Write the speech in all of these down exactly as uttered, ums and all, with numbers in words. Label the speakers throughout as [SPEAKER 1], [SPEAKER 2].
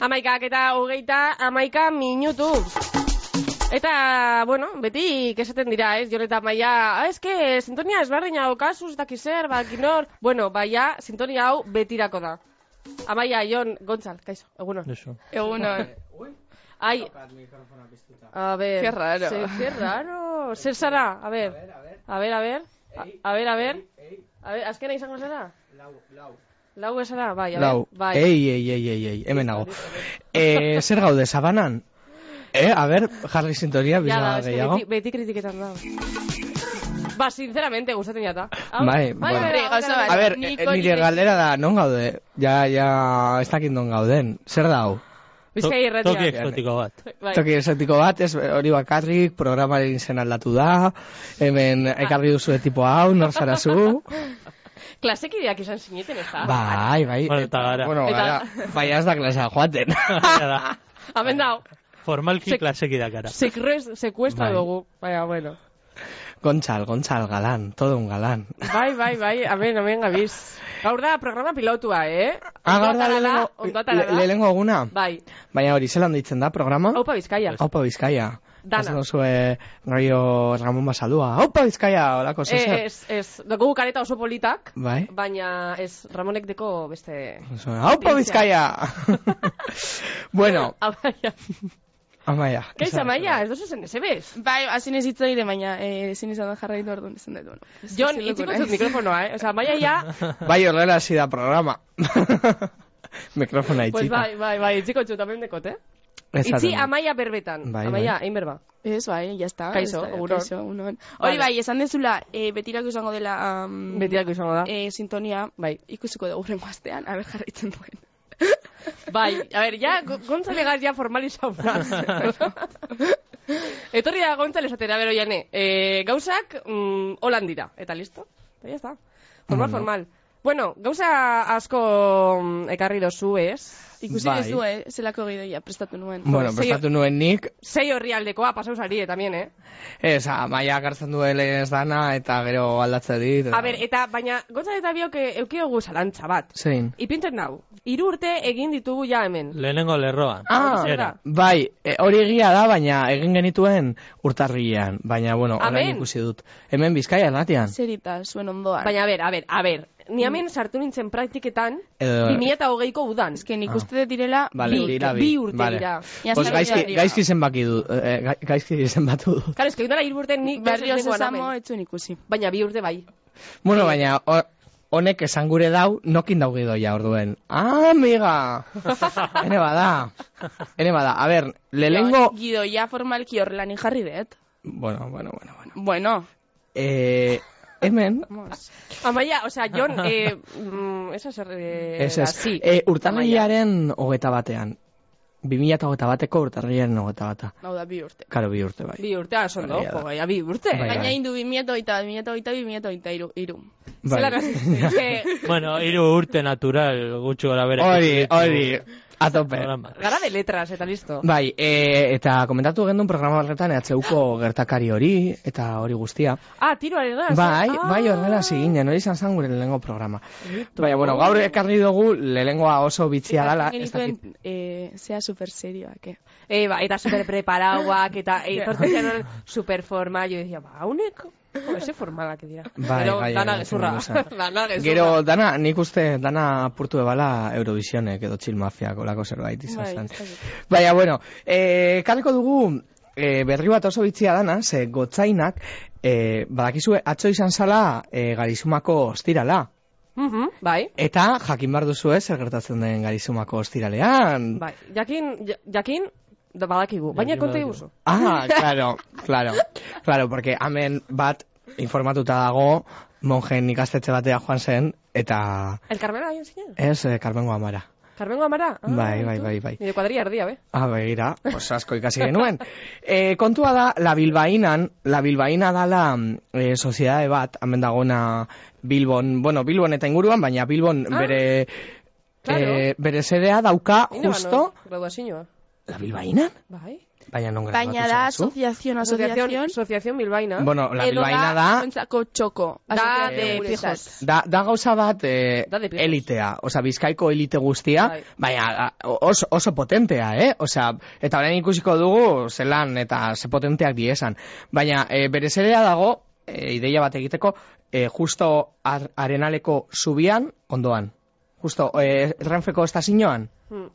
[SPEAKER 1] Amaikak eta hogeita amaika minutu. Eta, bueno, beti kesaten dira, ez? Jon eta Amaia, ah, ez que sintonia ezberdina daukazuz, dakizer, bakinor. Bueno, baia, sintonia hau betirako da. Amaia, Jon, Gontzal, kaixo, egunon. Egunon. Ai, a ver,
[SPEAKER 2] qué raro.
[SPEAKER 1] Se, qué raro. Zer zara, a ver, a ver, a ver, a ver, a ver, a ver, azkena izango zara?
[SPEAKER 3] Lau, lau.
[SPEAKER 1] Lau esara, bai, a ver,
[SPEAKER 3] Lau.
[SPEAKER 1] bai.
[SPEAKER 3] Ei, ei, ei, ei, ei, hemen nago. Eh, zer gaude, Sabanan? Eh, a ver, jarri sintonia, bizarra gehiago.
[SPEAKER 1] Beti, beti kritiketan da. Ba, sinceramente, gustatzen jata.
[SPEAKER 3] Bai,
[SPEAKER 1] bai,
[SPEAKER 3] bai.
[SPEAKER 1] bai.
[SPEAKER 3] A ver, nire galdera da, non gaude? Ja, ja, ez dakit non gauden. Zer da hau?
[SPEAKER 1] Bizkai irratia.
[SPEAKER 4] Toki exotiko bat.
[SPEAKER 1] Bai.
[SPEAKER 3] Toki exotiko bat, ez hori bakarrik, programaren izen aldatu da, hemen ekarri duzu tipo hau, nor zara zu.
[SPEAKER 1] Klasekideak izan zineten, ez da?
[SPEAKER 3] Bai, bai.
[SPEAKER 4] Bueno, eta gara.
[SPEAKER 3] Bueno, gara, bai ez da klasea joaten.
[SPEAKER 1] Hemen dao.
[SPEAKER 4] Formalki klasekideak gara.
[SPEAKER 1] Sekuestra
[SPEAKER 3] Bai.
[SPEAKER 1] dugu, baina, bueno.
[SPEAKER 3] Gontzal, Gontzal, galán, todo un galán.
[SPEAKER 1] Bai, bai, bai, amen, amen, gabiz. Gaur da programa pilotua, eh?
[SPEAKER 3] Ah, gaur da lehenengo,
[SPEAKER 1] ondotara da.
[SPEAKER 3] lehenengo eguna?
[SPEAKER 1] Bai.
[SPEAKER 3] Baina hori, zelan ditzen da programa?
[SPEAKER 1] Aupa Bizkaia.
[SPEAKER 3] Aupa Bizkaia.
[SPEAKER 1] Dana.
[SPEAKER 3] Ez duzue Raio Ramon Basalua. Aupa Bizkaia, holako
[SPEAKER 1] Eh,
[SPEAKER 3] zezer.
[SPEAKER 1] ez, ez, dugu kareta oso politak,
[SPEAKER 3] Bai.
[SPEAKER 1] baina ez, Ramonek deko beste...
[SPEAKER 3] Aupa Bizkaia! Bueno,
[SPEAKER 1] Amaia.
[SPEAKER 3] Amaia.
[SPEAKER 1] Kaixo, Amaia, ez duzu zen, ez ebes?
[SPEAKER 2] Bai, hasi nezitza dire, baina eh, ezin izan da jarraitu orduan izan dut. Bueno,
[SPEAKER 1] Jon, itziko zut mikrofonoa, eh? Osa, Amaia ja...
[SPEAKER 3] Bai, horrela hasi da programa. Mikrofona
[SPEAKER 1] Pues
[SPEAKER 3] itxita.
[SPEAKER 1] bai, bai, bai, itziko zut, amen dekot, eh?
[SPEAKER 3] Esaten.
[SPEAKER 1] Itzi Amaia berbetan.
[SPEAKER 3] Bai,
[SPEAKER 1] Amaia,
[SPEAKER 3] bai.
[SPEAKER 1] egin berba.
[SPEAKER 2] Ez, bai, ya está.
[SPEAKER 1] Kaixo,
[SPEAKER 2] ez da,
[SPEAKER 1] egunon.
[SPEAKER 2] kaixo, egunon.
[SPEAKER 1] Vale.
[SPEAKER 2] Hori bai, esan dezula, eh, betirako izango dela... Um,
[SPEAKER 1] Betirako izango da.
[SPEAKER 2] Eh, sintonia,
[SPEAKER 1] Bai.
[SPEAKER 2] ikusiko dugu rengo astean, aber jarraitzen duen.
[SPEAKER 1] Bai, a ver, ya, Gontzalegas ya formalizau naz. Etorri da Gontzale esatera, bero jane, eh, gauzak mm, holan dira, eta listo, eta ya está. Formal,
[SPEAKER 3] Bueno.
[SPEAKER 1] formal. Bueno, gauza asko mm, ekarri dozu, ez?
[SPEAKER 2] Ikusi
[SPEAKER 3] Bai.
[SPEAKER 2] ez du, eh, zelako gidoia prestatu nuen.
[SPEAKER 3] Bueno,
[SPEAKER 1] Sei-
[SPEAKER 3] prestatu nuen nik,
[SPEAKER 1] Sei horri aldekoa, pasau sari, tamien, eh?
[SPEAKER 3] ez, Amaia gartzen duele ez dana, eta gero aldatze dit.
[SPEAKER 1] A ber, eta, baina, Gontzale eta biok eh, eukiogu zalantza bat.
[SPEAKER 3] Zein?
[SPEAKER 1] Ipintzen nau, hiru urte egin ditugu ja hemen.
[SPEAKER 4] Lehenengo lerroan.
[SPEAKER 3] Ah,
[SPEAKER 4] Era.
[SPEAKER 3] bai, e, hori egia da, baina egin genituen urtarrilean. Baina, bueno,
[SPEAKER 1] Amen.
[SPEAKER 3] orain ikusi dut. Hemen Bizkaia erratian.
[SPEAKER 2] Zerita, zuen ondoan.
[SPEAKER 1] Baina, a ber, a ber, a ber, ni hemen sartu nintzen praktiketan,
[SPEAKER 3] Edo-
[SPEAKER 1] bi mila eta hogeiko udan.
[SPEAKER 2] Ez que nik uste dut direla...
[SPEAKER 3] Vale,
[SPEAKER 1] bi-
[SPEAKER 3] dira bi.
[SPEAKER 1] bi urte
[SPEAKER 3] Vale.
[SPEAKER 1] dira.
[SPEAKER 2] Ja,
[SPEAKER 3] Pues
[SPEAKER 2] zer
[SPEAKER 3] gaizki,
[SPEAKER 2] dira.
[SPEAKER 3] gaizki zenbaki du, eh, ga- gaizki zenbatu dut.
[SPEAKER 1] Karo, eski dara hiru urte nik
[SPEAKER 2] Berri oso
[SPEAKER 1] nengoan
[SPEAKER 2] zamo,
[SPEAKER 1] hemen.
[SPEAKER 2] etzuen ikusi.
[SPEAKER 1] Baina bi urte bai.
[SPEAKER 3] Bueno, baina ho- honek esan gure dau, nokin dau gidoia orduen. Ah, amiga! Ene bada. Ene bada. A ber, lehengo...
[SPEAKER 2] Gidoia formalki horrela ni jarri dut.
[SPEAKER 3] Bueno, bueno, bueno, bueno.
[SPEAKER 2] Bueno,
[SPEAKER 3] Eh, hemen...
[SPEAKER 2] vamos.
[SPEAKER 1] Amaia, o sea, Jon, eh, mm, esa zer... Eh,
[SPEAKER 3] Ez,
[SPEAKER 1] da,
[SPEAKER 3] ez.
[SPEAKER 1] sí.
[SPEAKER 3] Eh, urtarrilaren hogeta batean. bi mila hogeita bateko urtarrilaren hogeta bata.
[SPEAKER 2] Hau da, bi urte.
[SPEAKER 3] Karo, bi urte bai.
[SPEAKER 1] Bi urte, aso, no?
[SPEAKER 3] Egia da.
[SPEAKER 1] Jo, baina bi urte.
[SPEAKER 3] Bai,
[SPEAKER 2] Baina
[SPEAKER 3] bai.
[SPEAKER 2] indu bi mila hogeita, bi mila hogeita, bi mila hogeita iru. iru.
[SPEAKER 3] Bai.
[SPEAKER 1] Zelan hasi zen. Eske,
[SPEAKER 4] Bueno, hiru urte natural, gutxi gora bera.
[SPEAKER 3] Hori, hori, a tope.
[SPEAKER 1] gara de letras, eta listo.
[SPEAKER 3] Bai, e, eta komentatu gendun programa horretan E H Uko gertakari hori, eta hori guztia.
[SPEAKER 1] Ah, tiroaren da.
[SPEAKER 3] Bai,
[SPEAKER 1] ah.
[SPEAKER 3] bai horrela hasi ginen, hori izan zen gure lehenengo programa. Baina, bueno, gaur ekarri dugu lehenengoa oso bitxia dala. ez dakit.
[SPEAKER 2] Genituen, eh, zea super serioak, eh.
[SPEAKER 1] Eh, ba, eta super preparauak, eta eh, etortzen zen super formal. Yo decía, ba, haunek, jo, ese formalak dira.
[SPEAKER 3] Bai,
[SPEAKER 1] Pero
[SPEAKER 3] bai,
[SPEAKER 1] dana
[SPEAKER 3] bai,
[SPEAKER 1] gezurra.
[SPEAKER 3] zen
[SPEAKER 1] Dana gezurra.
[SPEAKER 3] Gero, dana, nik uste, dana apurtu ebala Eurovisionek edo Chill Mafiak olako zerbait izan
[SPEAKER 2] Bai,
[SPEAKER 3] zen.
[SPEAKER 2] ez dakit.
[SPEAKER 3] Baina, bueno, eh, karriko dugu eh, berri bat oso bitxia dana, ze gotzainak, eh, badakizue, atzo izan zala eh, Garizumako ostirala.
[SPEAKER 1] Mhm, bai.
[SPEAKER 3] Eta jakin behar duzu ez, zer gertatzen den Garizumako ostiralean.
[SPEAKER 1] Bai, jakin, ja- jakin, da badakigu, baina
[SPEAKER 4] Jakin
[SPEAKER 1] konta
[SPEAKER 4] badakigu.
[SPEAKER 1] iguzu.
[SPEAKER 3] Ah, claro, claro, claro, porque hemen bat informatuta dago, monjen ikastetxe batea joan zen, eta
[SPEAKER 1] El Carmelo hain zinen?
[SPEAKER 3] ez, eh, Carmengo Amara.
[SPEAKER 1] Carmengo Amara? Ah,
[SPEAKER 3] Bai, bai,
[SPEAKER 1] tu.
[SPEAKER 3] bai, bai.
[SPEAKER 1] Nire kuadrilla erdia, be?
[SPEAKER 3] Ah, begira, pues asko ikasi genuen. E, kontua da, la Bilbainan, la Bilbaina dala e, soziedade bat, hemen dagona Bilbon, bueno, Bilbon eta inguruan, baina Bilbon
[SPEAKER 1] Ah,
[SPEAKER 3] bere,
[SPEAKER 1] claro.
[SPEAKER 3] e, bere sedea dauka
[SPEAKER 1] Ine
[SPEAKER 3] justo,
[SPEAKER 1] bano, graduazioa.
[SPEAKER 3] La Bilbainan?
[SPEAKER 1] Bai.
[SPEAKER 3] Baina non
[SPEAKER 2] Baina
[SPEAKER 3] grabatu
[SPEAKER 2] da
[SPEAKER 3] zaizu?
[SPEAKER 2] asociación,
[SPEAKER 1] Asociación,
[SPEAKER 2] asociación.
[SPEAKER 1] Asociación Bilbaina.
[SPEAKER 3] Bueno, la
[SPEAKER 2] Edo
[SPEAKER 3] Bilbaina da...
[SPEAKER 2] ontzako txoko.
[SPEAKER 1] Da
[SPEAKER 2] Asociación
[SPEAKER 1] de
[SPEAKER 2] guretzat.
[SPEAKER 1] pijos.
[SPEAKER 3] Da, da gauza bat eh,
[SPEAKER 1] Da de pijos.
[SPEAKER 3] elitea, osea, Bizkaiko elite guztia,
[SPEAKER 1] Bai.
[SPEAKER 3] baina oso, oso potentea, eh? Osea, eta orain ikusiko dugu zelan eta ze potenteak diesan. Baina eh, berezelea dago, eh, ideia bat egiteko, eh, justo ar, arenaleko zubian, ondoan. Justo, eh, Renfeko estazioan,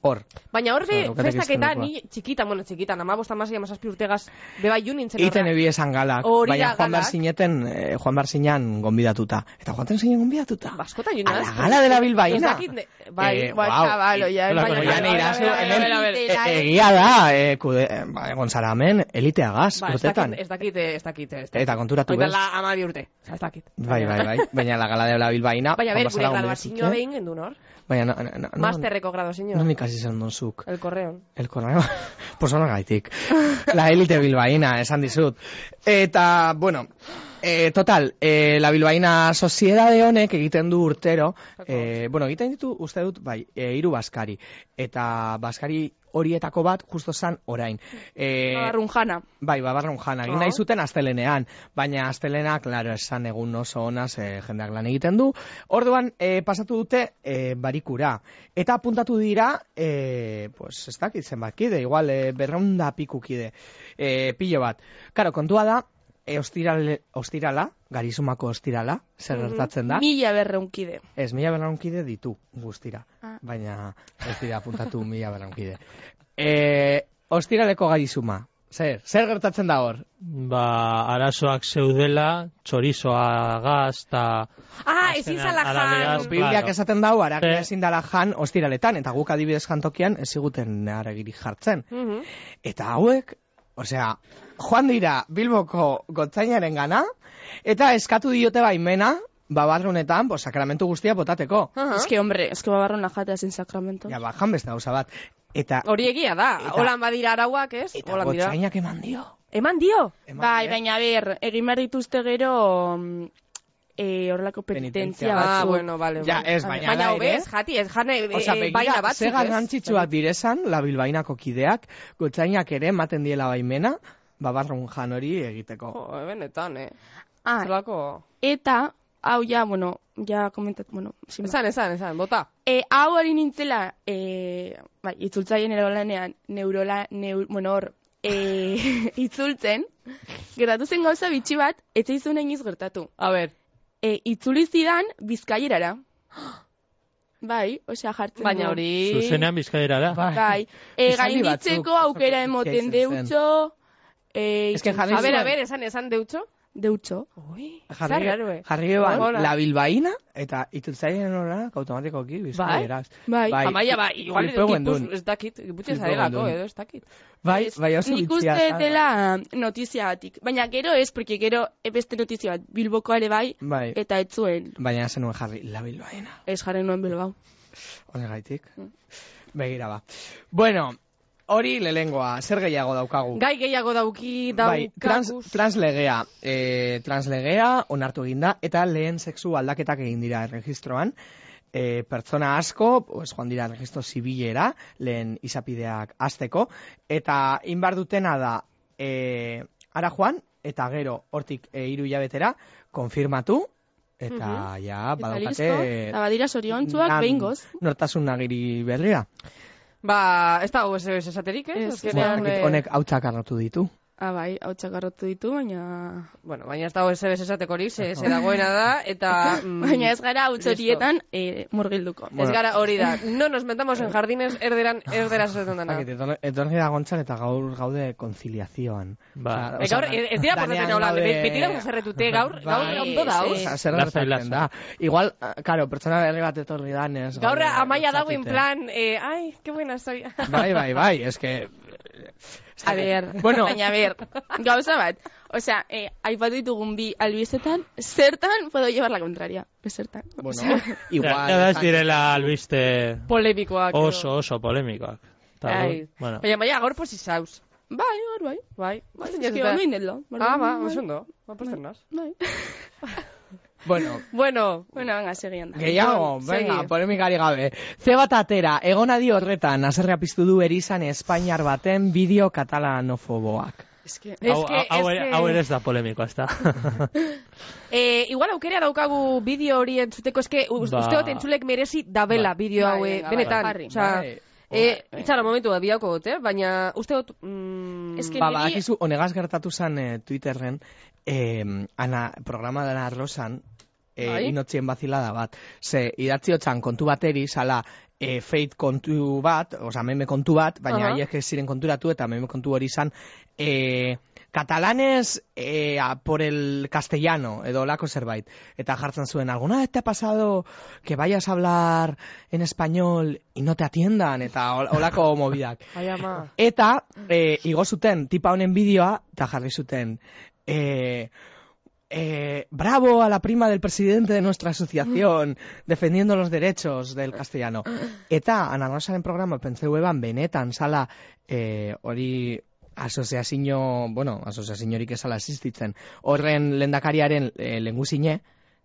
[SPEAKER 3] hor.
[SPEAKER 1] Baina hor be,
[SPEAKER 3] Osea, daukatek
[SPEAKER 1] festaketa
[SPEAKER 3] iztenekua.
[SPEAKER 1] ni txikitan, bueno, txikitan, amabost amasei amazazpi urtegaz, beba iun nintzen
[SPEAKER 3] Iten ebi esan galak,
[SPEAKER 1] Hori
[SPEAKER 3] baina
[SPEAKER 1] da
[SPEAKER 3] Juan
[SPEAKER 1] galak.
[SPEAKER 3] Barzineten, eh, Juan Barzinan gonbidatuta. Eta Juan zinen gonbidatuta.
[SPEAKER 1] Baskotan joan
[SPEAKER 3] A la gala de la Bilbaína.
[SPEAKER 1] Ez dakit, ne- bai,
[SPEAKER 3] Eh,
[SPEAKER 2] Ba,
[SPEAKER 3] guau,
[SPEAKER 2] chavalo, ya.
[SPEAKER 3] i-
[SPEAKER 4] Baina,
[SPEAKER 3] Oian
[SPEAKER 4] baina,
[SPEAKER 3] irazu,
[SPEAKER 1] baina,
[SPEAKER 3] hemen,
[SPEAKER 1] baina, baina,
[SPEAKER 3] e-
[SPEAKER 2] baina.
[SPEAKER 3] e- egia da, eh, kude, eh, ba, egon zara hemen, eliteagaz,
[SPEAKER 1] Ba, ez
[SPEAKER 3] urtetan.
[SPEAKER 1] dakit, ez dakit, ez dakit, ez dakit.
[SPEAKER 3] Eta konturatu
[SPEAKER 1] Oita
[SPEAKER 3] bez.
[SPEAKER 1] la amabi urte, ez dakit.
[SPEAKER 3] Bai, bai, bai, baina la gala de la Bilbaína.
[SPEAKER 1] Baina,
[SPEAKER 3] Juan
[SPEAKER 1] ber, gure
[SPEAKER 3] Bazara
[SPEAKER 1] graduazioa
[SPEAKER 3] gonbidatute.
[SPEAKER 1] behin gendu nor.
[SPEAKER 3] Baina, no, no, no,
[SPEAKER 1] Masterreko graduazioa.
[SPEAKER 3] non ikasi zen donzuk.
[SPEAKER 1] El correon.
[SPEAKER 3] El correo, pues gaitik. La élite bilbaína, esan dizut. Eta, bueno, eh, total, eh, la bilbaína soziedade honek egiten du urtero, eh, bueno, egiten ditu, uste dut, bai, eh, hiru baskari. Eta baskari horietako bat, justo zan orain. Eh,
[SPEAKER 2] Babarrun jana.
[SPEAKER 3] Bai, babarrun jana, egin nahi zuten astelenean, baina astelena, klaro, esan egun oso honaz e, jendeak lan egiten du. Orduan, e, pasatu dute e, barikura. Eta apuntatu dira, e, pues, ez dakit zenbat kide, igual, e, berreunda piku kide, e, pilo bat. Karo, kontua da, e, ostirale, ostirala, garizumako ostirala, zer gertatzen da?
[SPEAKER 2] Mila berreunkide.
[SPEAKER 3] Ez, mila berraunkide ditu guztira,
[SPEAKER 2] Ah.
[SPEAKER 3] baina ez dira apuntatu mila berraunkide. E, ostiraleko garizuma, zer, zer gertatzen da hor?
[SPEAKER 4] Ba, arazoak zeudela, txorizoa gaz, eta...
[SPEAKER 1] Ah, ezin zala
[SPEAKER 4] Arabeaz,
[SPEAKER 1] jan.
[SPEAKER 3] Bibliak
[SPEAKER 4] claro.
[SPEAKER 3] esaten dau, aragia
[SPEAKER 4] Eh.
[SPEAKER 3] ezin dala jan ostiraletan, eta guk adibidez jantokian ez ziguten aragirik jartzen.
[SPEAKER 1] Mhm.
[SPEAKER 3] Eta hauek, osea, joan dira Bilboko gotzainaren gana, eta eskatu diote baimena, babarrunetan, bo, sakramentu guztia botateko.
[SPEAKER 1] Aha.
[SPEAKER 2] Es que, hombre, es que babarrun jatea sin sacramento.
[SPEAKER 3] Ja, bajan beste gauza bat. Eta,
[SPEAKER 1] Hori egia da,
[SPEAKER 3] Eta-
[SPEAKER 1] holan badira arauak, ez?
[SPEAKER 3] eta
[SPEAKER 1] Holan dira.
[SPEAKER 3] gotzainak eman dio.
[SPEAKER 1] Eman dio?
[SPEAKER 3] Eman
[SPEAKER 2] Bai,
[SPEAKER 3] die.
[SPEAKER 2] baina ber, egin behar dituzte gero mm, eh, horrelako
[SPEAKER 3] Penitentzia
[SPEAKER 2] penitentzia
[SPEAKER 3] batzuk.
[SPEAKER 1] Ah,
[SPEAKER 2] batzuk.
[SPEAKER 1] bueno, vale.
[SPEAKER 3] Ja,
[SPEAKER 1] vale.
[SPEAKER 3] ez, baina
[SPEAKER 1] Baina
[SPEAKER 3] da
[SPEAKER 1] hobe,
[SPEAKER 3] ere.
[SPEAKER 1] ez, jati, ez jane, e,
[SPEAKER 3] Osea,
[SPEAKER 1] e,
[SPEAKER 3] begira,
[SPEAKER 1] baina batzuk,
[SPEAKER 3] ze
[SPEAKER 1] ez?
[SPEAKER 3] garrantzitsuak direzan, la bilbainako kideak, gotzainak ere ematen diela baimena, babarrun jan hori egiteko.
[SPEAKER 1] Jo, benetan, eh.
[SPEAKER 2] Ah,
[SPEAKER 1] Zerlako...
[SPEAKER 2] eta, hau ja, bueno, ja komentat, bueno, sin más.
[SPEAKER 1] Esan, esan, esan, bota.
[SPEAKER 2] E, hau hori nintzela, e, bai, itzultzaien neurolanean, neurola, neur, bueno, hor, e, itzultzen, gertatu zen gauza bitxi bat, ez zaizun iniz gertatu.
[SPEAKER 1] A ber,
[SPEAKER 2] E, itzuli zidan bizkaierara. Bai, osea, jartzen
[SPEAKER 1] baina
[SPEAKER 2] du.
[SPEAKER 1] hori...
[SPEAKER 4] Zuzenean bizkaira da.
[SPEAKER 3] Bai.
[SPEAKER 2] Bai, e,
[SPEAKER 3] Esaldi
[SPEAKER 2] gainditzeko
[SPEAKER 3] batzuk,
[SPEAKER 2] aukera
[SPEAKER 3] oso
[SPEAKER 2] emoten
[SPEAKER 3] izen zen.
[SPEAKER 2] deutxo, e,
[SPEAKER 3] Ez que jarri
[SPEAKER 1] A ber, a
[SPEAKER 3] zuen.
[SPEAKER 1] ber, esan, esan deutxo.
[SPEAKER 2] deutxo.
[SPEAKER 1] Ui,
[SPEAKER 3] Jarri,
[SPEAKER 1] zarrarue.
[SPEAKER 3] jarri eban,
[SPEAKER 1] Hola.
[SPEAKER 3] la bilbaina, eta itzultzaien horak automatikoki bizkaieraz.
[SPEAKER 2] Bai,
[SPEAKER 3] Bai.
[SPEAKER 1] Amaia, ba, igual,
[SPEAKER 3] Flipeu
[SPEAKER 1] gipuz,
[SPEAKER 3] gendun.
[SPEAKER 1] ez dakit, giputxe
[SPEAKER 3] Flipeu
[SPEAKER 1] zarelako,
[SPEAKER 3] gendun.
[SPEAKER 1] edo, ez dakit.
[SPEAKER 3] Bai, bai, oso
[SPEAKER 2] Nik
[SPEAKER 3] bitxia.
[SPEAKER 2] uste dela notiziagatik. Baina gero ez, porque gero beste notizia bat, Bilboko ere bai,
[SPEAKER 3] Bai,
[SPEAKER 2] eta ez zuen,
[SPEAKER 3] baina zenuen jarri, la bilbaina.
[SPEAKER 2] ez jarren nuen Bilbao.
[SPEAKER 3] Honegaitik.
[SPEAKER 2] Mm.
[SPEAKER 3] Begira ba. Bueno, hori lehengoa, zer gehiago daukagu?
[SPEAKER 1] Gai gehiago dauki,
[SPEAKER 3] Bai, trans,
[SPEAKER 1] daukaguz.
[SPEAKER 3] translegea. E, translegea onartu eginda, eta lehen sexu aldaketak egin dira erregistroan. E, pertsona asko, pues, joan dira registro zibilera, lehen izapideak azteko, eta inbar dutena da, e, ara joan, eta gero, hortik e, hiru hilabetera, konfirmatu, eta ja,
[SPEAKER 2] Eta
[SPEAKER 3] badaukate...
[SPEAKER 2] listo, eta badira soriontsuak
[SPEAKER 3] lan-
[SPEAKER 2] behingoz.
[SPEAKER 3] Nortasun nagiri berria.
[SPEAKER 1] Ba, ez da ez ez esaterik, eh?
[SPEAKER 2] Ez,
[SPEAKER 1] Azkenean,
[SPEAKER 3] Bueno,
[SPEAKER 1] eh,
[SPEAKER 3] honek hautsak arrotu ditu.
[SPEAKER 2] Ah, bai, hau txakarrotu ditu, baina...
[SPEAKER 1] Bueno, baina ez dago ez ez esatekorik, ze, ze dagoena da, eta... mm,
[SPEAKER 2] Baina ez gara hau horietan eh, murgilduko.
[SPEAKER 1] Ez gara hori da. No nos metamos en jardines erderan, erderaz esaten dena.
[SPEAKER 3] Zakit, etorri etorri da gontzan eta gaur gaude konziliazioan.
[SPEAKER 4] Ba.
[SPEAKER 1] E, gaur, ez dira portatzen hola, beti dago zerretute, gaur, gaur
[SPEAKER 2] Bai,
[SPEAKER 1] ondo da,
[SPEAKER 2] sí.
[SPEAKER 3] Osea, zer
[SPEAKER 4] Lasai,
[SPEAKER 3] gertatzen
[SPEAKER 4] lasai.
[SPEAKER 3] da. Igual, ah, claro, pertsona berri bat etorri danez.
[SPEAKER 1] Gaur
[SPEAKER 3] gaude,
[SPEAKER 1] amaia dago en
[SPEAKER 3] zakite.
[SPEAKER 1] plan, eh, ay, qué buena estoy.
[SPEAKER 3] Bai, bai, bai, es que...
[SPEAKER 2] A ver,
[SPEAKER 3] Bueno.
[SPEAKER 2] baina a ver, gauza bat. Osea, eh, aipatu ditugun bi albizetan, zertan puedo llevar la contraria. Zertan.
[SPEAKER 3] Bueno,
[SPEAKER 4] Ja,
[SPEAKER 3] igual...
[SPEAKER 4] ja, ez
[SPEAKER 3] esan-
[SPEAKER 4] direla albiste
[SPEAKER 1] Polemikoak. edo.
[SPEAKER 4] oso, oso polemikoak. Ta,
[SPEAKER 1] Ai.
[SPEAKER 4] bueno.
[SPEAKER 1] Baina, baina, gaur posi zauz.
[SPEAKER 2] Bai, hor bai.
[SPEAKER 1] Bai,
[SPEAKER 2] Bai,
[SPEAKER 1] bai,
[SPEAKER 2] ez que ondo indetlo.
[SPEAKER 1] Ah, ba, oso ondo. Ba, posten naz.
[SPEAKER 2] Bai.
[SPEAKER 3] Bueno,
[SPEAKER 1] Bueno,
[SPEAKER 2] Bueno, venga, segian da.
[SPEAKER 3] gehiago,
[SPEAKER 1] Jon,
[SPEAKER 3] venga,
[SPEAKER 1] segi.
[SPEAKER 3] polemikari gabe. Ze bat atera, egonadi horretan, haserrea piztu du erizan Espainiar baten bideo katalanofoboak.
[SPEAKER 2] Es que...
[SPEAKER 1] Es
[SPEAKER 4] Hau,
[SPEAKER 1] que-
[SPEAKER 4] hau,
[SPEAKER 1] es
[SPEAKER 4] ere-
[SPEAKER 1] que-
[SPEAKER 4] hau ere ez da polemikoa, ez da.
[SPEAKER 1] eh, igual aukerea daukagu bideo hori entzuteko, eske ba...
[SPEAKER 4] Ba-
[SPEAKER 1] uste dut entzulek merezi dabela
[SPEAKER 4] Bai.
[SPEAKER 1] bideo hau,
[SPEAKER 2] Bai,
[SPEAKER 1] eh,
[SPEAKER 2] venga,
[SPEAKER 1] benetan.
[SPEAKER 2] bai, jarri.
[SPEAKER 1] Osea,
[SPEAKER 3] Bai.
[SPEAKER 1] eh,
[SPEAKER 2] Bai.
[SPEAKER 1] itxara momentu da bideoko dut, eh? Baina uste dut... Mm,
[SPEAKER 2] Es que
[SPEAKER 3] Ba,
[SPEAKER 2] niri-
[SPEAKER 3] badakizu, honegaz gertatu zen eh, Twitterren, eh, ana, programa dena arlosan, eh,
[SPEAKER 1] Bai.
[SPEAKER 3] inotzien bazilada bat. Ze, idatziotxan kontu bateri, sala, eh, feit kontu bat, oza, meme kontu bat, baina
[SPEAKER 1] Aha.
[SPEAKER 3] haiek ez ziren konturatu, eta meme kontu hori izan, eh, catalanes eh, a por el castellano, edo lako zerbait. Eta jartzen zuen, ¿alguna vez te ha pasado que vayas a hablar en español y no te atiendan? Eta hol- holako movidak.
[SPEAKER 1] Ai, ama.
[SPEAKER 3] Eta, eh, igo zuten, tipa honen bideoa, eta jarri zuten, eh, eh, bravo a la prima del presidente de nuestra asociación, defendiendo los derechos del castellano. Eta, Ana Rosaren programa, pentseu eban, benetan, sala, eh, hori, asoziazio, bueno, asoziaziorik esala existitzen, horren lendakariaren e, lenguzine,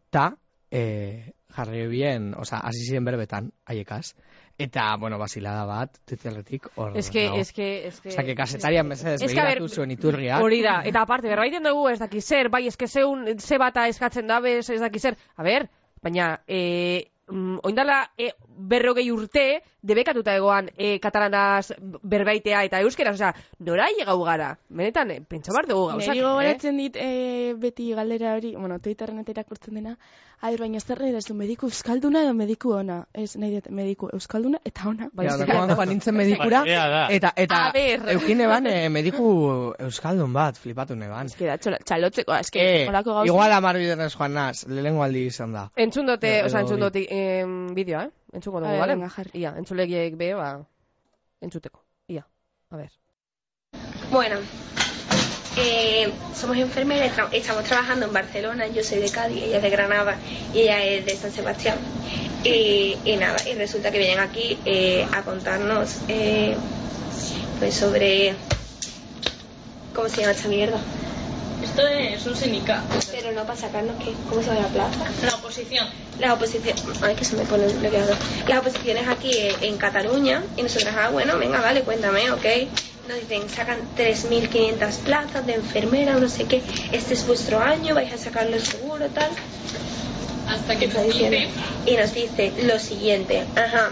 [SPEAKER 3] ta e, jarri bien, oza, hasi ziren berbetan, haiekaz. Eta, bueno, basilada bat, Twitterretik, hor
[SPEAKER 1] Es que,
[SPEAKER 3] dago.
[SPEAKER 1] es que, es que...
[SPEAKER 3] Osa, que kasetarian mesedez
[SPEAKER 1] Es que, a ver,
[SPEAKER 3] begiratu zuen iturriak.
[SPEAKER 1] Hori da, eta aparte, berbaiten dugu ez daki zer, bai, eske zeun, ze bata eskatzen dabe, ez daki zer. A ber, baina, e, mm, oindala e, berrogei urte, debekatuta egoan e, katalanaz berbaitea eta euskeraz, osea, nora llegau gara? Benetan, eh, pentsa bar dugu gauzak,
[SPEAKER 2] Neri
[SPEAKER 1] eh?
[SPEAKER 2] gogoratzen dit eh, beti galdera hori, bueno, Twitterren eta irakurtzen dena, a ber, baina zer nahi dezu, mediku euskalduna edo mediku ona? Ez, nahi dut, mediku euskalduna eta ona.
[SPEAKER 3] Ja,
[SPEAKER 1] eske-
[SPEAKER 3] dagoan joan nintzen medikura,
[SPEAKER 4] Ea da.
[SPEAKER 3] eta, eta
[SPEAKER 1] A ber.
[SPEAKER 3] eukin eban eh, mediku euskaldun bat, flipatu neban.
[SPEAKER 2] Ez que da, txola- txalotzeko, ez que,
[SPEAKER 3] Eh,
[SPEAKER 2] holako gauza.
[SPEAKER 3] igual amar bidenez joan naz, lehenengo aldi izan da.
[SPEAKER 1] Entzun dote,
[SPEAKER 3] Edo
[SPEAKER 1] osea, entzun
[SPEAKER 3] bi.
[SPEAKER 1] dote em, bideoa, eh? Entzungo dugu,
[SPEAKER 2] A ber,
[SPEAKER 1] bale?
[SPEAKER 2] venga, jarri.
[SPEAKER 1] Ia, entzulegiek be, ba, entzuteko. Ia, a ver.
[SPEAKER 5] Bueno, eh, somos enfermeras, tra- estamos trabajando en Barcelona, yo soy de Cádiz, ella es de Granada y ella es de San Sebastián. Y, y nada, y resulta que vienen aquí eh, a contarnos eh, pues sobre... ¿Cómo se llama esta mierda?
[SPEAKER 6] Esto es un sindicato.
[SPEAKER 5] Pero no para sacarnos qué, ¿cómo se llama la plaza?
[SPEAKER 6] La oposición.
[SPEAKER 5] Las oposiciones, ay que se me pone bloqueado. Las oposiciones aquí eh, en Cataluña y nosotras, ah bueno, venga, vale, cuéntame, ok. Nos dicen, sacan tres mil quinientas plazas de enfermera, no sé qué, este es vuestro año, vais a sacarlo seguro, tal.
[SPEAKER 6] Hasta que
[SPEAKER 5] Está
[SPEAKER 6] nos
[SPEAKER 5] diciendo.
[SPEAKER 6] dice
[SPEAKER 5] Y nos dice lo siguiente, ajá.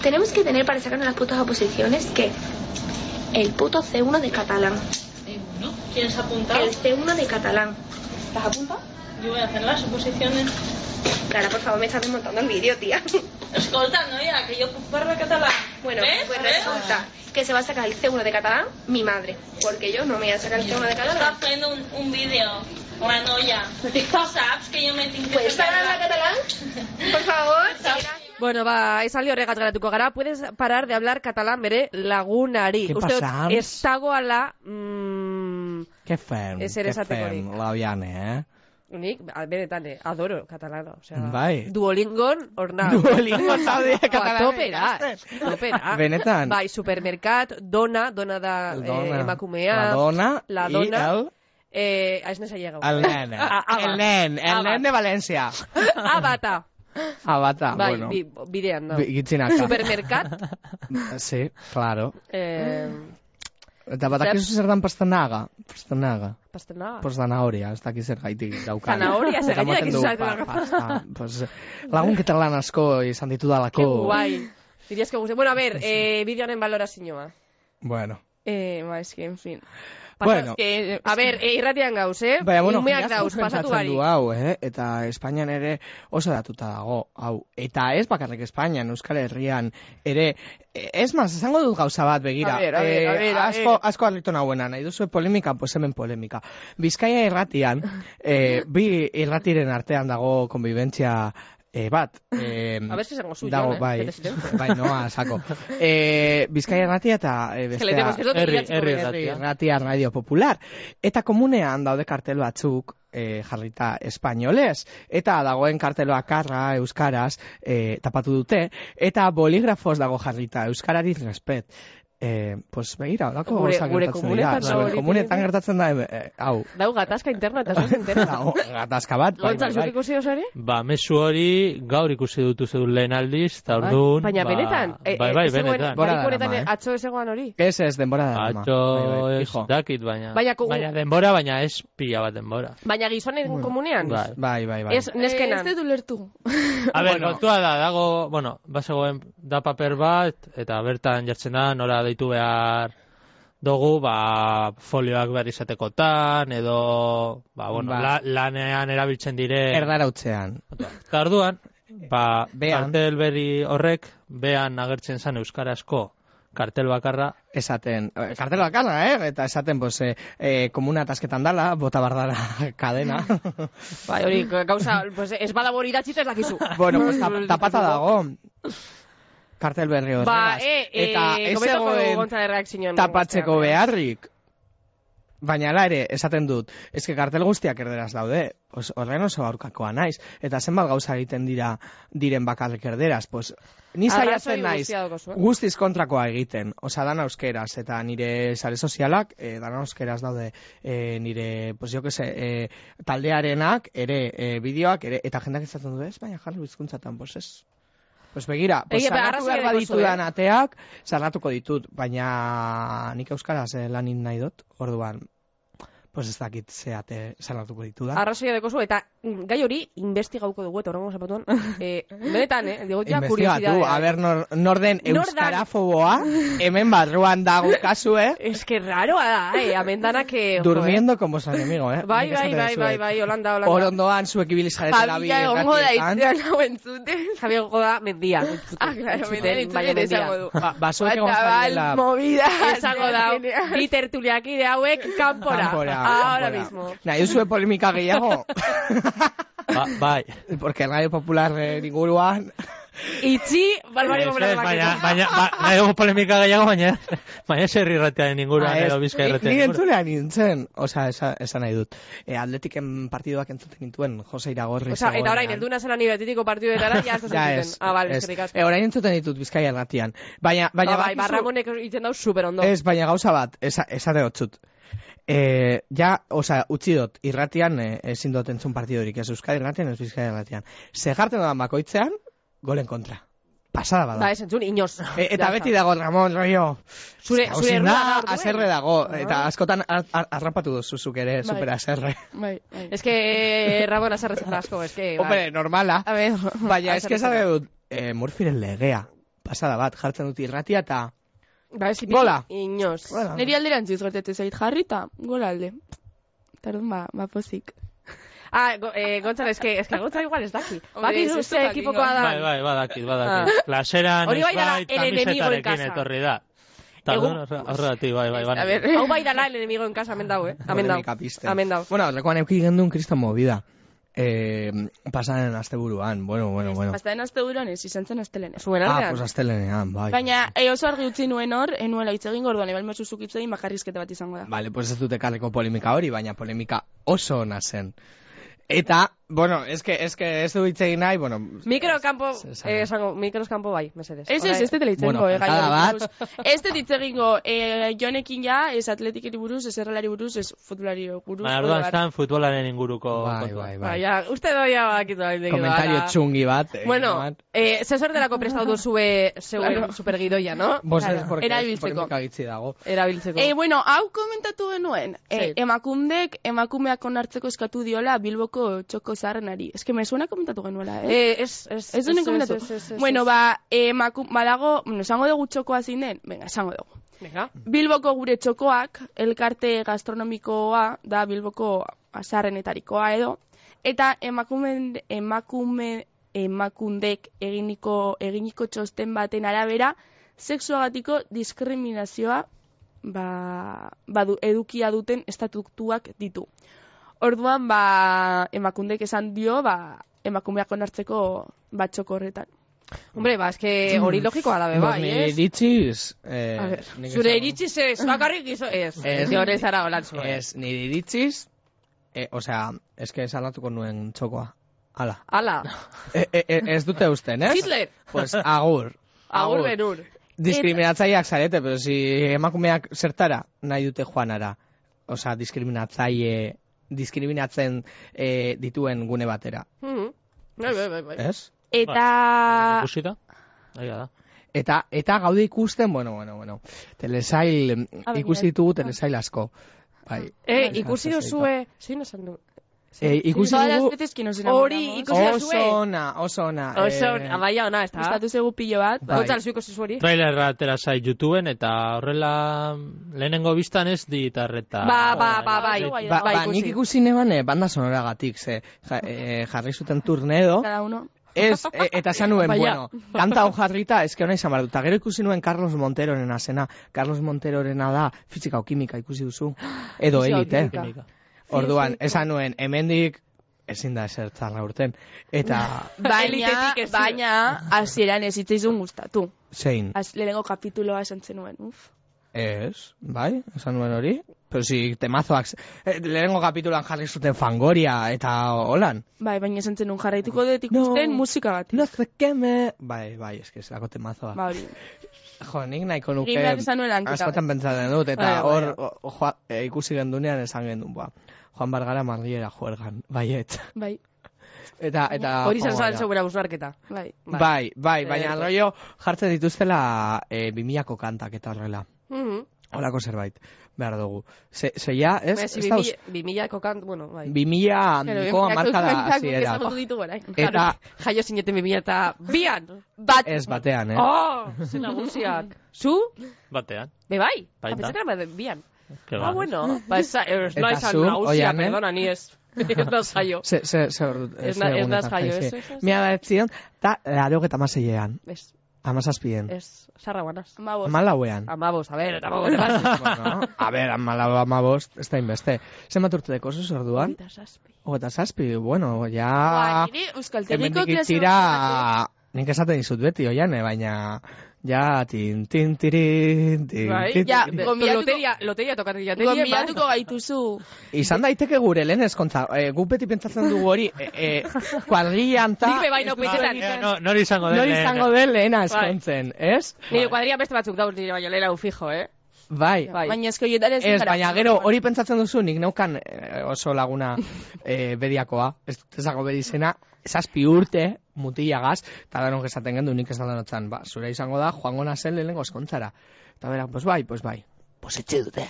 [SPEAKER 5] Tenemos que tener para sacarnos las putas oposiciones que el puto C uno de catalán.
[SPEAKER 6] eh, bueno, ¿quieres apuntar?
[SPEAKER 5] El C uno de catalán. ¿Las apuntas?
[SPEAKER 6] Yo voy a hacer las oposiciones.
[SPEAKER 5] Clara, por favor, me estás desmontando el vídeo, tía.
[SPEAKER 6] Escolta, no, ya, que yo parlo catalán.
[SPEAKER 5] Bueno,
[SPEAKER 6] ¿Ves?
[SPEAKER 5] pues
[SPEAKER 6] ¿Ves?
[SPEAKER 5] resulta que se va a sacar el C uno de catalán mi madre, porque yo no me voy a sacar el C uno de
[SPEAKER 6] Está
[SPEAKER 5] catalán.
[SPEAKER 6] haciendo un, un vídeo. La noia. Tu saps que yo me tinc que
[SPEAKER 5] ¿Puedes
[SPEAKER 6] fer
[SPEAKER 5] parar la catalán? Por favor.
[SPEAKER 1] Bueno, ba, esaldi horregat garatuko gara, puedes parar de hablar catalán bere lagunari.
[SPEAKER 3] ¿Qué
[SPEAKER 1] Uste dut,
[SPEAKER 3] pasa?
[SPEAKER 1] ez dagoala... Mm,
[SPEAKER 3] Què fem?
[SPEAKER 1] Ez ere
[SPEAKER 3] Què
[SPEAKER 1] esatekorik.
[SPEAKER 3] fem, Labiane, eh?
[SPEAKER 1] nik, a- benetan, eh, adoro katalana. O sea,
[SPEAKER 3] Bai.
[SPEAKER 1] Duolingon, orna.
[SPEAKER 3] Duolingo zaude katalana
[SPEAKER 1] Topera,
[SPEAKER 3] ikasten.
[SPEAKER 1] topera.
[SPEAKER 3] Benetan.
[SPEAKER 1] Bai, supermercat, dona, dona da
[SPEAKER 3] Dona.
[SPEAKER 1] eh, emakumea.
[SPEAKER 3] La dona
[SPEAKER 1] La
[SPEAKER 3] i
[SPEAKER 1] dona.
[SPEAKER 3] el,
[SPEAKER 1] Eh, a ez nesa llegau.
[SPEAKER 3] el nen.
[SPEAKER 1] Ah, ah,
[SPEAKER 3] el
[SPEAKER 1] va.
[SPEAKER 3] nen, el
[SPEAKER 1] Ah, va.
[SPEAKER 3] nen de València.
[SPEAKER 1] Abata.
[SPEAKER 3] Abata,
[SPEAKER 1] Bai,
[SPEAKER 3] bueno.
[SPEAKER 1] bi, bidean da.
[SPEAKER 3] Gitzinaka.
[SPEAKER 1] Supermercat.
[SPEAKER 3] Sí, claro.
[SPEAKER 1] Eh,
[SPEAKER 3] Eta badakizu zer dan pastanaga. Pastanaga.
[SPEAKER 1] pastena.
[SPEAKER 3] Pues zanahoria, ez dakiz zer gaitik daukan.
[SPEAKER 1] Zanahoria, zer
[SPEAKER 3] Eta
[SPEAKER 1] gaitik
[SPEAKER 3] ematen
[SPEAKER 1] dakizu
[SPEAKER 3] du,
[SPEAKER 1] zanahoria.
[SPEAKER 3] pa- pasta. Pues, lagun ketalan asko izan ditu
[SPEAKER 1] Qué
[SPEAKER 3] dalako.
[SPEAKER 1] guai. Dirías que guste. Bueno, a ver, eh, bideoaren valorazioa.
[SPEAKER 3] Bueno.
[SPEAKER 2] Eh, ba, eski, en fin.
[SPEAKER 3] Bueno.
[SPEAKER 2] Que,
[SPEAKER 1] A ver, eh, irratian gauz, eh?
[SPEAKER 3] Baina, bueno,
[SPEAKER 1] Umeak
[SPEAKER 3] jendea
[SPEAKER 1] dauz,
[SPEAKER 3] asko
[SPEAKER 1] pasatu
[SPEAKER 3] pentsatzen du
[SPEAKER 1] barik.
[SPEAKER 3] hau, eh? Eta Espainian ere oso datuta dago, hau. Eta ez bakarrik Espainian, Euskal Herrian, ere, eh, ez maz, esango dut gauza bat, begira.
[SPEAKER 1] A ver, a ver, a
[SPEAKER 3] Eh,
[SPEAKER 1] ver, a
[SPEAKER 3] asko,
[SPEAKER 1] ver.
[SPEAKER 3] asko harritu nahuena, nahi duzu polemika, pues hemen polemika. Bizkaia irratian, eh, bi irratiren artean dago konbibentzia eh, bat. Eh,
[SPEAKER 1] A ver si esango zu,
[SPEAKER 3] dago,
[SPEAKER 1] Jon, eh?
[SPEAKER 3] bai,
[SPEAKER 1] Bete silencio.
[SPEAKER 3] bai, noa, sako. Eh, Bizkaia irratia eta eh,
[SPEAKER 1] Es que le tenemos que
[SPEAKER 3] bestea...
[SPEAKER 1] eso
[SPEAKER 4] Herri-
[SPEAKER 1] idatziko
[SPEAKER 4] herri
[SPEAKER 1] dugu.
[SPEAKER 4] irratia.
[SPEAKER 3] Irratia Radio Popular. Eta komunean daude kartel batzuk eh, jarrita espainolez. Eta dagoen kartelo akarra euskaraz eh, tapatu dute. Eta boligrafos dago jarrita euskarari respet. Eh, pues begira, holako
[SPEAKER 1] Gure-
[SPEAKER 3] gauzak
[SPEAKER 1] gure
[SPEAKER 3] gertatzen dira.
[SPEAKER 1] komunetan
[SPEAKER 3] Zure
[SPEAKER 1] hori
[SPEAKER 3] komunetan
[SPEAKER 1] tiene-
[SPEAKER 3] gertatzen da, eh, hau.
[SPEAKER 1] Dau gatazka interna eta zuz entera.
[SPEAKER 3] Dago, gatazka bat, bai,
[SPEAKER 1] Gontzal,
[SPEAKER 3] bai,
[SPEAKER 1] zuk
[SPEAKER 3] bai.
[SPEAKER 1] ikusi oso ere?
[SPEAKER 4] Ba, mezu hori gaur ikusi dutu zedun lehen aldiz, eta
[SPEAKER 1] Bai,
[SPEAKER 4] orduan...
[SPEAKER 1] baina
[SPEAKER 4] ba,
[SPEAKER 1] benetan, e,
[SPEAKER 4] Bai, bai,
[SPEAKER 1] ez zegoen-
[SPEAKER 4] benetan.
[SPEAKER 3] Bora
[SPEAKER 1] barik honetan
[SPEAKER 3] darama, eh?
[SPEAKER 1] atzo ez egoan hori.
[SPEAKER 3] Ez, ez, denbora da. ama.
[SPEAKER 4] Atxo
[SPEAKER 3] Bai, bai,
[SPEAKER 4] ez
[SPEAKER 3] fijo.
[SPEAKER 4] dakit, baina...
[SPEAKER 1] Baina ku-
[SPEAKER 4] Baina denbora, baina ez pila bat denbora.
[SPEAKER 1] Baina gizonen komunean?
[SPEAKER 4] Bai.
[SPEAKER 3] Bai, bai, bai.
[SPEAKER 1] Ez neskenan.
[SPEAKER 2] Ez dut ulertu.
[SPEAKER 4] A ber,
[SPEAKER 3] Bueno.
[SPEAKER 4] kontua da, dago, bueno, bazegoen da paper bat, eta bertan jartzen da, nora deitu behar dugu, ba, folioak behar izatekotan, edo, ba, bueno,
[SPEAKER 3] Ba.
[SPEAKER 4] La, lanean erabiltzen dire...
[SPEAKER 3] Erdarautzean.
[SPEAKER 4] Eta orduan, ba,
[SPEAKER 3] Bean.
[SPEAKER 4] kartel berri horrek, bean agertzen zen euskarazko kartel bakarra,
[SPEAKER 3] Esaten, eh, kartel bakarra, eh? Eta esaten, pues, eh, eh, komuna tasketan dala, bota bardara kadena.
[SPEAKER 1] Bai, hori, gauza, pues, ez badabor idatzita ez dakizu.
[SPEAKER 3] Bueno, pues, tap, tapata dago. Kartel berri horregaz.
[SPEAKER 1] Ba, e, e,
[SPEAKER 3] Eta ez
[SPEAKER 1] komentoko
[SPEAKER 3] zegoen
[SPEAKER 1] Gontzal reakzioan.
[SPEAKER 3] tapatzeko beharrik. Baina ala ere, esaten dut, eske kartel guztiak erderaz daude, pues, horren oso aurkakoa naiz, eta zenbat gauza egiten dira diren bakarrik erderaz, pues, ni
[SPEAKER 1] Arrazoi
[SPEAKER 3] saiatzen naiz,
[SPEAKER 1] guztia daukazu, eh?
[SPEAKER 3] guztiz kontrakoa egiten, osea, dana euskeraz, eta nire sare sozialak, eh, dana euskeraz daude, eh, nire, pues, jo que se, eh, taldearenak, ere, eh, bideoak, ere, eta jendak esaten du, ez, baina jarri bizkuntzatan, pues, ez. Pues begira, pues,
[SPEAKER 1] Egia,
[SPEAKER 3] sarratu
[SPEAKER 1] arrazoi
[SPEAKER 3] behar
[SPEAKER 1] daukazu,
[SPEAKER 3] baditudan
[SPEAKER 1] eh?
[SPEAKER 3] ateak, sarratuko ditut, baina nik euskaraz eh, lanin nahi dut, orduan, pues ez dakit zeate sarratuko ditudan.
[SPEAKER 1] Arrazoia dekozu, eta mm, gai hori investigauko dugu, eta horrengo zapatuan. eh, benetan, eh? Digo, ja,
[SPEAKER 3] Investigatu,
[SPEAKER 1] kuriosidadea.
[SPEAKER 3] a ber, nor, norden
[SPEAKER 1] Nor dan-
[SPEAKER 3] euskarafoboa, hemen barruan dago kasu, eh?
[SPEAKER 1] Es que raroa da, eh? Amendanak que...
[SPEAKER 3] Durmiendo con vuestro enemigo, eh?
[SPEAKER 1] Bai,
[SPEAKER 3] Nik
[SPEAKER 1] bai,
[SPEAKER 3] esaten
[SPEAKER 1] bai,
[SPEAKER 3] dizuet.
[SPEAKER 1] bai, bai, Holanda, Holanda.
[SPEAKER 3] Orondoan zuek ibili zaretela bi
[SPEAKER 2] Jabila egongo da
[SPEAKER 3] irratietan.
[SPEAKER 2] itzean hau entzuten.
[SPEAKER 1] Javier Goda, mendia.
[SPEAKER 2] Ah, claro, mendian
[SPEAKER 1] Baina
[SPEAKER 2] entzuten esango du.
[SPEAKER 3] Ba, ba, zuek egon
[SPEAKER 2] Batabal,
[SPEAKER 3] zarela
[SPEAKER 2] movida.
[SPEAKER 1] Esango da, bi tertuliaki de hauek kanpora.
[SPEAKER 3] kanpora,
[SPEAKER 1] Ahora
[SPEAKER 3] kanpora.
[SPEAKER 1] mismo.
[SPEAKER 3] Nahi duzue polemika gehiago?
[SPEAKER 4] ba, bai.
[SPEAKER 3] Porque Radio Popular eh, inguruan...
[SPEAKER 1] Itzi, balbari
[SPEAKER 4] Ez,
[SPEAKER 1] momentu
[SPEAKER 4] ez, baina, baina, ba, nahi dugu polemika gehiago, baina, baina zer irratearen inguruan,
[SPEAKER 3] Ah, ez,
[SPEAKER 4] edo bizka
[SPEAKER 3] ni-
[SPEAKER 4] irratearen
[SPEAKER 3] Ni
[SPEAKER 4] inguruan.
[SPEAKER 3] entzulean nintzen, osea, esan, esan nahi dut. E, atletiken partiduak entzuten nintuen, Jose Iragorri.
[SPEAKER 1] Osa, eta orain, heldu nazela ni betitiko partidetara, ja, ez da
[SPEAKER 3] Ja,
[SPEAKER 1] zentuten.
[SPEAKER 3] ez,
[SPEAKER 1] Ah, bale,
[SPEAKER 3] ez.
[SPEAKER 1] eskerrik asko.
[SPEAKER 3] E, orain entzuten ditut Bizkaia irratian. Baina, baina,
[SPEAKER 1] Ba, bai,
[SPEAKER 3] bakizu-
[SPEAKER 1] Barramonek itzen dau super ondo.
[SPEAKER 3] Ez, baina gauza bat, esa, esate hotzut. E, ja, osea, utzi dut, irratian e, ezin dut entzun partidorik, ez Euskadi irratian, ez Bizkaia irratian. Segarten doan bakoitzean, golen kontra. Pasada bada.
[SPEAKER 1] Da, ez entzun, inoz.
[SPEAKER 3] E, eta
[SPEAKER 1] Ja
[SPEAKER 3] beti
[SPEAKER 1] está.
[SPEAKER 3] dago, Ramon, rollo.
[SPEAKER 1] Zure,
[SPEAKER 3] Hau
[SPEAKER 1] zure
[SPEAKER 3] zin
[SPEAKER 1] errua
[SPEAKER 3] da,
[SPEAKER 1] da orduen.
[SPEAKER 3] haserre dago,
[SPEAKER 1] Ah.
[SPEAKER 3] eta askotan ar- ar- arrapatu duzuzuk ere, super haserre.
[SPEAKER 2] Bai, bai.
[SPEAKER 1] Es que Ramon azarretzen asko, es que...
[SPEAKER 3] Hombre, normala.
[SPEAKER 2] A ver,
[SPEAKER 3] Baina, eske
[SPEAKER 1] haserre
[SPEAKER 3] esan dut, eh, Murphyren legea. Pasada bat, jartzen dut irratia eta...
[SPEAKER 1] Ba, ez
[SPEAKER 3] Gola.
[SPEAKER 1] Inoz.
[SPEAKER 3] Gola.
[SPEAKER 2] niri alderantziz gertatu zait jarrita, gola alde. Tardun ba, ba pozik.
[SPEAKER 1] Ah, go, eh, Gontzalo, es que, es que Gontzalo igual ez daki.
[SPEAKER 2] Hombre,
[SPEAKER 1] Baki
[SPEAKER 2] ez
[SPEAKER 1] zu
[SPEAKER 2] ez
[SPEAKER 1] ze
[SPEAKER 2] du
[SPEAKER 1] ekipokoa
[SPEAKER 2] jakingo.
[SPEAKER 1] da.
[SPEAKER 4] Bai, bai, badakit, badakit. Klaseran
[SPEAKER 1] Hori
[SPEAKER 4] ez
[SPEAKER 1] bai dala
[SPEAKER 4] bai,
[SPEAKER 1] el enemigo en
[SPEAKER 4] kamisetarekin
[SPEAKER 1] casa.
[SPEAKER 4] etorri da. Eta
[SPEAKER 1] Egun-
[SPEAKER 4] orduan, horregatik, bai, bai, bai.
[SPEAKER 2] A ver,
[SPEAKER 1] Hau bai dala el enemigo en casa, amen dau, eh? Amen dau.
[SPEAKER 3] Polemika pizten.
[SPEAKER 1] Amen dau.
[SPEAKER 3] Bueno, lekuan euki gendun kriston movida. Eh, pasaren asteburuan, bueno, bueno, bueno.
[SPEAKER 2] Pastaden aste buruan ez, izan zen astelenez.
[SPEAKER 1] Zuen
[SPEAKER 3] Ah,
[SPEAKER 1] artean.
[SPEAKER 3] pues astelenean, bai.
[SPEAKER 2] Baina, e, oso argi utzi nuen hor, enuela hitz egin gorduan, ebal mesuzuk hitz egin bakarrizketa bat izango da.
[SPEAKER 3] Vale, pues ez dut ekarreko polemika hori, baina polemika oso ona zen. Eta, bueno, eske, eske ez du hitz egin nahi, bueno...
[SPEAKER 1] Mikrokampo,
[SPEAKER 3] ez- ez-
[SPEAKER 1] eh, esango, mikroskampo bai, mesedez.
[SPEAKER 2] Ez, ez, ez dut hitz
[SPEAKER 3] Bueno,
[SPEAKER 2] egingo, eh, gai
[SPEAKER 3] kantada
[SPEAKER 2] hori
[SPEAKER 3] bat.
[SPEAKER 2] buruz. Ez dut hitz egingo, eh, jonekin ja, ez atletikeri buruz, ez errelari buruz, ez futbolari buruz.
[SPEAKER 4] Baina
[SPEAKER 2] oro
[SPEAKER 4] orduan
[SPEAKER 2] bat.
[SPEAKER 4] estan futbolaren inguruko
[SPEAKER 3] Bai,
[SPEAKER 4] kontua.
[SPEAKER 3] bai,
[SPEAKER 1] Ba,
[SPEAKER 3] bai.
[SPEAKER 1] ja, uste doia bakitu da.
[SPEAKER 3] Komentario txungi bat. eh,
[SPEAKER 1] Bueno,
[SPEAKER 3] bat.
[SPEAKER 1] eh, zesor delako prestatu duzue zeuen
[SPEAKER 2] Claro.
[SPEAKER 1] supergidoia, no?
[SPEAKER 3] Bos ez,
[SPEAKER 2] Claro,
[SPEAKER 3] porque
[SPEAKER 2] erabiltzeko.
[SPEAKER 3] polemika gitzi dago.
[SPEAKER 1] Erabiltzeko.
[SPEAKER 2] Eh, bueno, hau komentatu genuen. Eh,
[SPEAKER 1] Zer?
[SPEAKER 2] emakundek emakumeak onartzeko eskatu diola Bilboko txoko zaharrenari. Ez que me suena komentatu genuela, eh?
[SPEAKER 1] Eh, ez, ez,
[SPEAKER 2] Ez duen komentatu.
[SPEAKER 1] ez, ez, ez,
[SPEAKER 2] Bueno,
[SPEAKER 1] ez.
[SPEAKER 2] ba, emaku, badago, bueno, esango dugu txokoa zein den? Venga, esango dugu.
[SPEAKER 1] Venga.
[SPEAKER 2] Bilboko gure txokoak, elkarte gastronomikoa da Bilboko azarrenetarikoa edo, eta emakume, emakume, emakundek eginiko, eginiko txosten baten arabera, sexuagatiko diskriminazioa ba, badu, edukia duten estatutuak ditu. Orduan, ba, emakundek esan dio, ba, emakumeak onartzeko batxoko horretan.
[SPEAKER 1] Hombre, ba, eske hori logikoa da be,
[SPEAKER 3] Pues
[SPEAKER 1] bai,
[SPEAKER 3] nire
[SPEAKER 1] ez?
[SPEAKER 3] iritziz... Eh,
[SPEAKER 1] A ver,
[SPEAKER 3] nik
[SPEAKER 1] zure
[SPEAKER 3] esango-
[SPEAKER 1] iritziz ez, bakarrik izo, ez.
[SPEAKER 3] Ez.
[SPEAKER 1] Ez, hori zara holan zuen.
[SPEAKER 3] Ez, nire iritziz... Eh, osea, eske salatuko nuen txokoa. Hala.
[SPEAKER 1] Ala,
[SPEAKER 3] E, e, e, ez dute usten, ez?
[SPEAKER 1] Hitler.
[SPEAKER 3] Pues agur.
[SPEAKER 1] agur benur.
[SPEAKER 3] diskriminatzaileak zarete, pero si emakumeak zertara nahi dute joanara. Osea, diskriminatzaile, diskriminatzen eh, dituen gune batera.
[SPEAKER 1] Mhm. Bai, bai, bai, bai.
[SPEAKER 3] Ez?
[SPEAKER 2] Eta...
[SPEAKER 4] Ikusi da? Aia da.
[SPEAKER 3] Eta, eta gaude ikusten, bueno, bueno, bueno. Telesail,
[SPEAKER 2] A
[SPEAKER 3] ikusi ditugu telesail asko. Bai.
[SPEAKER 1] Eh, ikusi duzue... Zein esan du?
[SPEAKER 3] Eh, ikusi
[SPEAKER 2] Todas las
[SPEAKER 3] dugu...
[SPEAKER 2] veces que nos
[SPEAKER 1] Hori
[SPEAKER 2] enamoramos.
[SPEAKER 1] ikusi duzue?
[SPEAKER 3] Oso ona, oso ona.
[SPEAKER 1] Oso,
[SPEAKER 3] eh,
[SPEAKER 1] amaia ona, ez da?
[SPEAKER 2] Gustatu zegu pilo bat.
[SPEAKER 3] Bai.
[SPEAKER 1] Gontzal, zu ikusi zueri?
[SPEAKER 4] Trailerra atera zait YouTubeen eta horrela lehenengo biztan ez ditarreta.
[SPEAKER 1] Ba, ba, ba, bai.
[SPEAKER 2] Bai,
[SPEAKER 3] Ba,
[SPEAKER 1] bai,
[SPEAKER 3] ba,
[SPEAKER 1] ikusi.
[SPEAKER 3] nik ikusi neban eh, banda sonoragatik, ze ja, eh, jarri zuten turnedo,
[SPEAKER 2] Cada uno.
[SPEAKER 3] ez, e, eta esan nuen,
[SPEAKER 1] Baina.
[SPEAKER 3] bueno, kanta hau jarrita, eske hona izan behar dut. Ta gero ikusi nuen Carlos Monterorena zena. Carlos Monterorena da fisika o kimika ikusi duzu. Edo
[SPEAKER 2] Fisika o
[SPEAKER 3] elite.
[SPEAKER 2] kimika.
[SPEAKER 3] Orduan, esan nuen, hemendik ezin da ezer txarra urten. Eta,
[SPEAKER 2] Baina,
[SPEAKER 1] Elitetik ez.
[SPEAKER 2] baina, hasieran ez hitzaizun gustatu.
[SPEAKER 3] zein,
[SPEAKER 2] Az, lehenengo kapituloa esan zenuen, uf.
[SPEAKER 3] ez, bai, esan nuen hori. Pero si temazoak, eh, lehenengo kapitulan jarri zuten Fangoria eta holan.
[SPEAKER 2] Bai, baina esan zenuen jarraituko dut ikusten
[SPEAKER 3] No.
[SPEAKER 2] musika bat.
[SPEAKER 3] No sé qué me... Bai, bai, eske zelako temazoa.
[SPEAKER 2] Ba, hori.
[SPEAKER 3] Jo, nik nahiko nuke...
[SPEAKER 2] Egin behar izan nuen lanketa
[SPEAKER 3] askotan pentsatzen dut, eta
[SPEAKER 1] Bai, bai,
[SPEAKER 3] hor o- joa- e, ikusi gendunean esan gendun, ba. Juan Bargara Marliera juergan, baiet.
[SPEAKER 2] Bai,
[SPEAKER 3] Eta, eta...
[SPEAKER 1] Hori izan
[SPEAKER 3] joango
[SPEAKER 1] zan
[SPEAKER 3] gara.
[SPEAKER 1] zeugura busnarketa.
[SPEAKER 2] bai.
[SPEAKER 3] Bai, bai, baina
[SPEAKER 1] Eh,
[SPEAKER 3] rollo jartzen dituztela e, bimillako kantak eta horrela.
[SPEAKER 1] Mhm.
[SPEAKER 3] Holako zerbait, behar dugu. Ze, zeia, ez?
[SPEAKER 1] Ez,
[SPEAKER 3] Ez dauz,
[SPEAKER 1] bimillako kant, bueno, bai.
[SPEAKER 3] bimilla
[SPEAKER 2] Pero,
[SPEAKER 3] handiko amarka da
[SPEAKER 2] kantak
[SPEAKER 3] hasiera.
[SPEAKER 2] ezagutu ditu orain.
[SPEAKER 3] Eta,
[SPEAKER 1] Jaio zineten bimilla eta bian!
[SPEAKER 2] Bat,
[SPEAKER 3] ez batean, eh?
[SPEAKER 1] Oh, zen nagusiak. Zu?
[SPEAKER 4] Batean.
[SPEAKER 1] Be bai?
[SPEAKER 4] Baita.
[SPEAKER 1] Apetzakera ba, bian.
[SPEAKER 4] Que
[SPEAKER 1] Ah,
[SPEAKER 4] ba,
[SPEAKER 1] bueno. Ba, ez ez
[SPEAKER 3] Eta
[SPEAKER 1] no izan
[SPEAKER 3] zu,
[SPEAKER 1] nagusia,
[SPEAKER 3] Oiane?
[SPEAKER 1] perdona, ni ez. Ez da zaio.
[SPEAKER 3] Ze, ze, ze hor...
[SPEAKER 1] Ez
[SPEAKER 3] ze
[SPEAKER 1] na- ez
[SPEAKER 3] egunetan
[SPEAKER 1] naz jaio,
[SPEAKER 3] jaize.
[SPEAKER 1] ez, ez, ez.
[SPEAKER 3] Mila da etzion, eta laro eta maseilean.
[SPEAKER 1] Ez,
[SPEAKER 3] Amazazpien.
[SPEAKER 1] ez, sarra guanaz.
[SPEAKER 2] amabos.
[SPEAKER 3] Amalauean.
[SPEAKER 1] Amabos, a ver, eta mago, te vas.
[SPEAKER 3] Bueno, a ver, amalau amabost, ez da inbeste. Zenbat urte deko zuz orduan?
[SPEAKER 1] Eta saspi.
[SPEAKER 3] Ogeta zazpi, bueno,
[SPEAKER 2] Ba,
[SPEAKER 3] ja...
[SPEAKER 2] niri euskaltegiko
[SPEAKER 3] Hemendik
[SPEAKER 2] klase
[SPEAKER 3] itxira... Nik esaten dizut beti, oiane, baina... Ja, tin, tin, tirin, tin,
[SPEAKER 1] Bai,
[SPEAKER 3] tin,
[SPEAKER 2] ja,
[SPEAKER 3] tin.
[SPEAKER 2] Gomiatuko-
[SPEAKER 1] Loteria, loteria tokatu jateria.
[SPEAKER 2] Gonbidatuko gaituzu.
[SPEAKER 3] Izan daiteke gure lehen eskontza. E, guk beti pentsatzen dugu hori, e, e, kuadrillan ta...
[SPEAKER 1] Nik be bai, no, peitetan.
[SPEAKER 4] Eh, no, nori izango den.
[SPEAKER 3] Nori
[SPEAKER 4] lehen.
[SPEAKER 3] izango den lehena eskontzen, ez?
[SPEAKER 1] Nire kuadria beste batzuk dauz nire baino lehera fijo, eh?
[SPEAKER 3] Bai.
[SPEAKER 1] Bai.
[SPEAKER 2] Baina esko hietan ez
[SPEAKER 3] Ez,
[SPEAKER 2] gara.
[SPEAKER 3] baina gero hori pentsatzen duzu, nik neukan eh, oso laguna eh, bediakoa, ez dut ezago bedizena, zazpi urte mutilagaz, eta danok esaten gendu nik esan danotzen, ba, zure izango da, joango nazen lehenengo eskontzara. Eta bera, pues bai, pues bai. Pues etxe dute.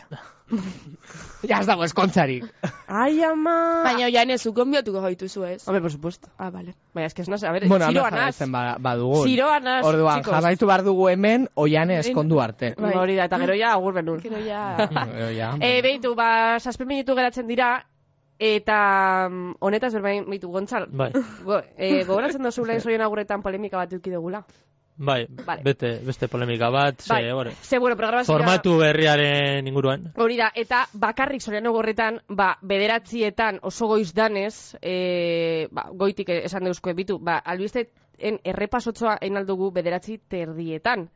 [SPEAKER 3] Ja ez dago eskontzarik.
[SPEAKER 1] Ai, ama!
[SPEAKER 2] Baina oian ez, gonbidatuko gaituzu ez.
[SPEAKER 1] Hombre, por supuesto.
[SPEAKER 2] Ah, vale.
[SPEAKER 1] Baina, es que ez naz, a ver,
[SPEAKER 3] Bueno,
[SPEAKER 1] ziroa
[SPEAKER 3] hemen
[SPEAKER 1] naz.
[SPEAKER 3] jarraitzen ba- badugu.
[SPEAKER 1] Ziroa naz,
[SPEAKER 3] Orduan,
[SPEAKER 1] chicos.
[SPEAKER 3] jarraitu behar dugu hemen, oiane eskondu arte.
[SPEAKER 2] Bai.
[SPEAKER 1] Hori da, eta gero ja, agur benun.
[SPEAKER 2] Gero ja...
[SPEAKER 3] Gero ja.
[SPEAKER 1] E, behitu, ba, saspe minutu geratzen dira, eta mm, honetaz berbain, behitu, Gontzal,
[SPEAKER 4] Bai,
[SPEAKER 1] go, e, gogoratzen dozu lehen zoien agurretan polemika bat eduki dugula.
[SPEAKER 4] bai,
[SPEAKER 1] Vale.
[SPEAKER 4] bete, beste polemika bat, ze,
[SPEAKER 1] Bai,
[SPEAKER 4] ore,
[SPEAKER 1] ze, bueno, programazioa...
[SPEAKER 4] formatu berriaren inguruan.
[SPEAKER 1] Hori da, eta bakarrik Soriano gorretan, ba, bederatzietan oso goiz danez, e, ba, goitik esan deuzko bitu, ba, albisteen errepasotzoa enaldugu bederatzi terdietan.